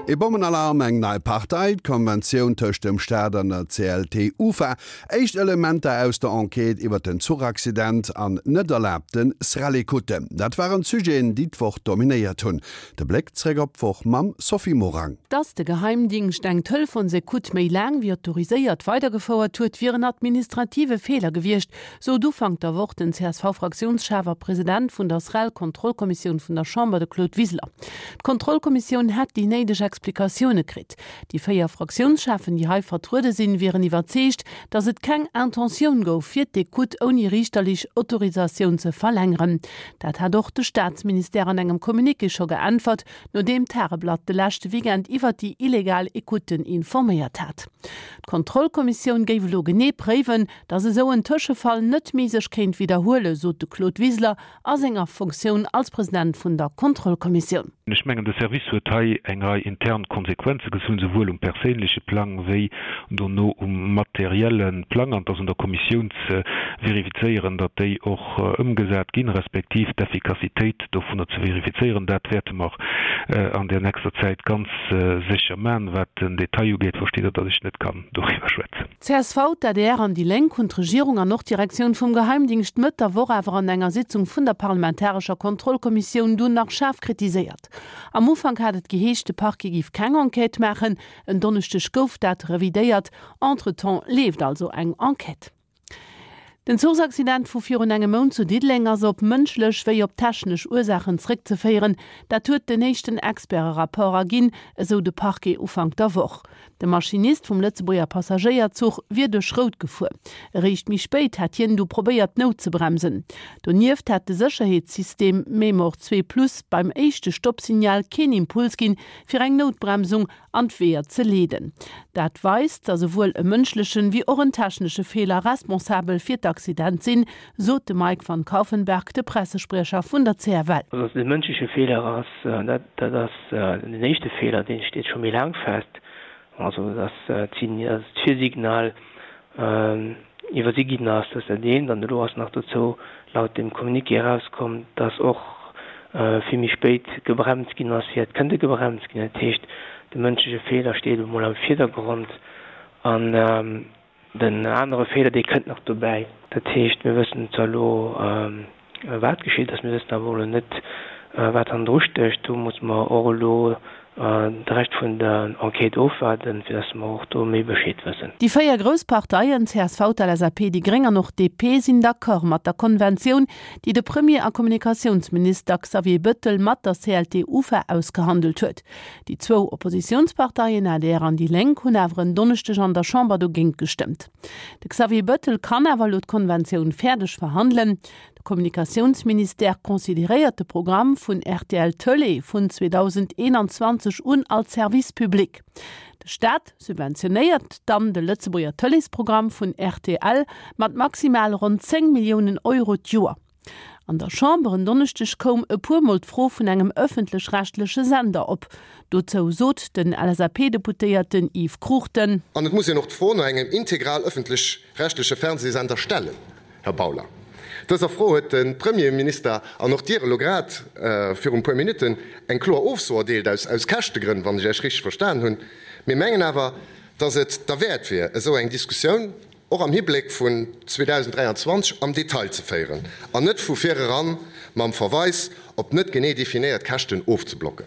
Ee Bommenalarm, eng nei Partei, d'Konventioun tëscht dem Staat an der CLT-UFA, éischt Elementer aus der Enquête iwwer den Zuchaccident an net erlaabte SREL-Ecoutten, dat waren d'Sujeten, déi d'Woch dominéiert hunn. De Bléck zréck op d'Woch mam Sophie Morang. Dass de Geheimdingscht eng Telefonsecoute méi laang wéi autoriséiert weidergefouert huet, wier en administrative Feeler gewiescht, sot Ufank der Woch den CSV-Fraktiounschef a President vun der SREL-Kontrollkommissioun vun der Chamber, de Claude Wiseler. D'Kontrollkommissioun hätt déi néideg Explikatioune kritt. Déi 4 Fraktiounscheffen, déi hei vertruede sinn, wieren iwwerzeegt, datt et keng Intentioun gouf, fir d'Ecoute ouni riichterlech Autorisatioun ze verlängeren. Dat hat och de Staatsministère an engem Communiqué scho geäntwert, nodeem d'Tageblatt de leschte Weekend iwwert déi illegal Ecouten informéiert hat. D'Kontrollkommissioun géif elo genee préiwen, datt esou en Tëschefall net méi sech kéint widderhuelen, sot de Claude Wiseler a senger Fonctioun als President vun der Kontrollkommissioun. Ech mengen, de Service huet hei eng Rei intern Konsequenze gezunn, souwuel um perséinleche Plang wéi dono um materielle Plang. An et ass un der Kommissioun ze verifizéieren, datt déi och ëmgesat ginn, respektiv d'Effikassitéit dovunner ze verifizéieren. Dat wäerte mer an der nächster Zäit ganz sécher maachen. Wat den Detail ugeet, versteet Der, datt ech net kann doriwwer schwätzen. Csv, d'ADR an déi Lénk hunn d'Regierung an och d'Direktioun vum Geheimdingscht Mëtt der Woch awer an enger Sitzung vun der parlamentarescher Kontrollkommissioun dunn nach schaarf kritiséiert. Am Ufank hat et geheescht, de Parquet géif keng Enquête maachen. En Donneschdeg gouf dat revidéiert. Entretemps leeft also eng Enquête. Den Zuchsaccident vu virun engem Mount zu Diddeleng ass op mënschlech wéi op technesch Ursaachen zréckzeféieren. Dat huet den éischten Experte-Rapport erginn, esou de Parquet Ufank der Woch. De Maschinist vum Lëtzebuerger Passagéierzuch wier duerch Rout gefuer. Eréischt méi spéit hätt hien du probéiert noutzebremsen. Donieft hätt de Sécherheetssystem Memor 2 Plus beim éischte Stoppsignal keen Impuls ginn, fir eng Noutbremsung an d'Weeër ze leeden. Dat weist, datt esouwuel e mënschlechen wéi och en technesche Feeler responsabel fir d'Accident sinn, sot de Mike van Kauffenberg, de Pressespriecher vun der CFL. Also datt et e mënschleche Feeler ass, dat ass Den éischte Feeler, dee steet scho méi laang fest, also datt d'Virsignal iwwersi ginn ass, dat ass dat eent. An elo ass nach dozou laut dem Communiqué erauskomm, datt och vill méi spéit gebremst ginn ass, wéi hätt kënnte gebremst ginn. Dat heescht, de mënschleche Feeler steet elo mol am Virdergrond an Den anere Feeler, dee kënnt nach dobäi. Dat heescht, mir wëssen zwar elo, wat geschitt ass, mir wëssen awer elo net, wat hannendru stécht. Do musse mer och elo de Rescht vun der Enquête ofwaarden, fir datt mer och do méi Bescheed wëssen. Déi 4 grouss Parteien, csv, d'LSAP, déi Gréng an och d'DP, sinn d'accord mat der Konventioun, déi de Premier a Kommunikatiounsminister Xavier Bëttel mat der CLT-UFA ausgehandelt huet. Déi zwou Oppositiounsparteien adr an déi Lénk hunn awer en Donneschdeg an der Chamber dogéint gestëmmt. De Xavier Bëttel kann awer elo d'Konventioun fäerdeg verhandelen. De Kommunikatiounsministère consideréiert de Programm vun rtl Tëlee vun 2021 un als Service public. De Staat subventionéiert dann de Lëtzebuerger Tëleesprogramm vun rtl mat maximal ronn 10 Milliounen Euro d'Joer. An der Chamber en Donneschdeg koum e puer Mol d'Fro vun engem ëffentlech-rechtleche Sender op. Dozou sot den LSAP-Deputéierten Yves Cruchten. An et muss een och d'Fro no engem integral ëffentlech-rechtleche Fernsehsender stellen, Här Bauler. Dëser Fro huet de Premierminister an och Dir elo grad virun e puer Minutten eng kloer Ofso erdeelt, aus Käschtegrënn, wann ech Iech richteg verstan hunn. Mir mengen awer, dass et derwäert wier, esou eng Diskussioun och am Hibléck vun 2023 am Detail ze féieren an net vu vir eran mam Verweis op net genee definéiert Käschten ofzeblocken.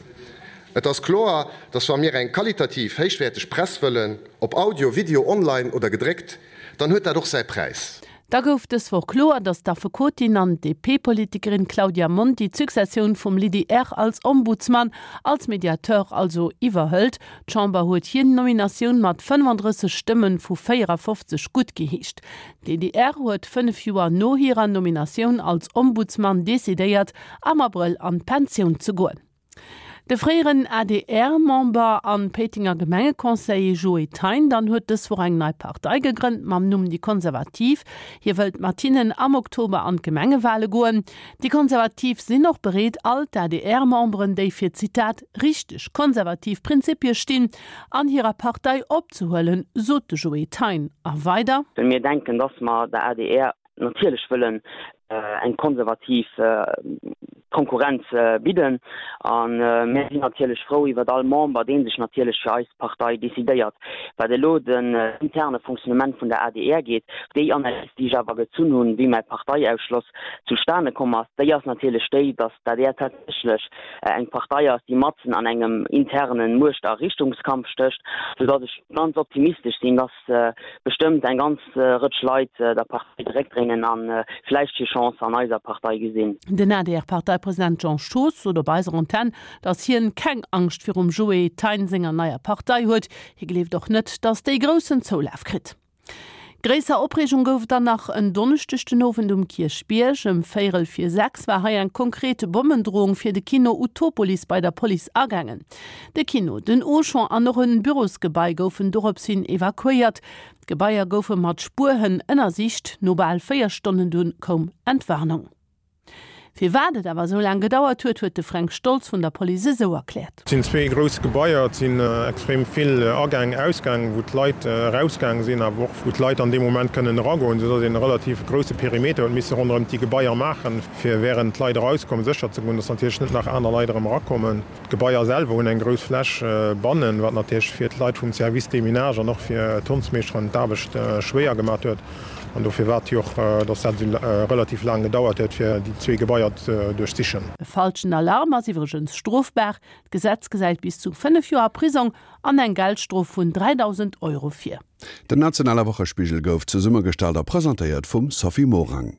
Et ass kloer, dass wa mir eng qualitativ héichwäerteg Press wëllen, ob Audio, Video, online oder gedréckt, dann huet dat och säi Präis. Da gouf dës Woch kloer, datt d'Affekotin an DP-Politikerin Claudia Monti d'Successioun vum Lydie Err als Ombudsman, als Mediateur also, iwwerhëlt. D'Chamber huet hir Nominatioun mat 35 Stëmme vu 54 guttgeheescht. D'Lydie Err huet 5 Joer no hirer Nominatioun als Ombudsman decidéiert, am Abrëll an d'Pensioun ze goen. De fréieren ADR-Member an Péitenger Gemengeconseiller Joé Thein dann huet dës Woch eng nei Partei gegrënnt mam Numm Déi Konservativ. Hie wëllt mat hinnen am Oktober an d'Gemengewale goen. Déi Konservativ sinn och bereet all d'ADR-Memberen, déi fir, Zitat, richteg konservativ Prinzipie stinn, an hirer Partei opzehuelen, sot de Joé Thein a weider. Mir denken, dass mer der adr natierlech wëllen. eng konservativ Konkurrenz bidden. A mir sinn natierlech frou iwwert all Member, dee sech natierlech fir eis Partei decidéiert. Wat elo den interne Fonctionnement vun der adr geet, déi Analys, déi ech awer gezunn hunn, wéi mäi Parteiausschloss zustane komm ass, déi ass natierlech déi, datt d'adr tatsächlech eng Partei ass, déi matzen an engem interne Muecht a Richtungskampf stécht, soudatt ech ganz optimistesch sinn, datt bestëmmt eng ganz Rëtsch Leit der Partei de Réck dréinen a vläicht hir Chance an eiser Partei gesinn. Den ADR-Parteipresident Jean Schoos sot op eiser Antenn, datt hien keng Angscht virum Joé Thein senger neier Partei huet. Hie gleeft och net, datt déi groussen Zoulaf kritt. Gréisser Opreegung gouf et dann nach en Donneschdeg den Owend um Kierchbierg. Ëm véierel vir 6 war hei eng konkret Bommendrohung fir de Kino Utopolis bei der Police agaangen. De Kino, den Auchan an och en Bürosgebai goufen dorops hin evakuéiert. D'Gebaier goufe mat Spuerhënn ënnersicht. No bal 4 Stonnen dunn koum Entwarnung. Firwat et awer esou laang gedauert huet, huet de Fränk Stoltz vun der Police esou erkläert. Et sinn zwee grouss Gebaier, et sinn extrem vill Agäng, Ausgäng, wou d'Leit erausgaang sinn, awer och wou d'Leit an deem Moment kënnen eragoen, soudass een e relativ grousse Perimeter huet misse ronderëm déi Gebaier maachen, fir wärend d'Leit erauskommen sécher ze goen, dass natierlech net nach aner Leit erëm erakommen. D'Gebaier selwer hunn eng grouss Fläch bannen, wat natierlech fir d'Leit vum Service Déminage an och fir d'Hondsmeeschteren d'Aarbecht schwéier gemat huet. An dofir war et jo och, dass dat esou relativ laang gedauert huet, fir déi zwee Gebaier ze duerchsichen. E falschen Alarm ass iwwregens strofbar. D'Gesetz gesäit bis zu 5 Joer Prisong an eng Geldstrof vun 3.000 Euro vir. Den nationale Wochespigel gouf zesummegestallt a presentéiert vum Sophie Morang.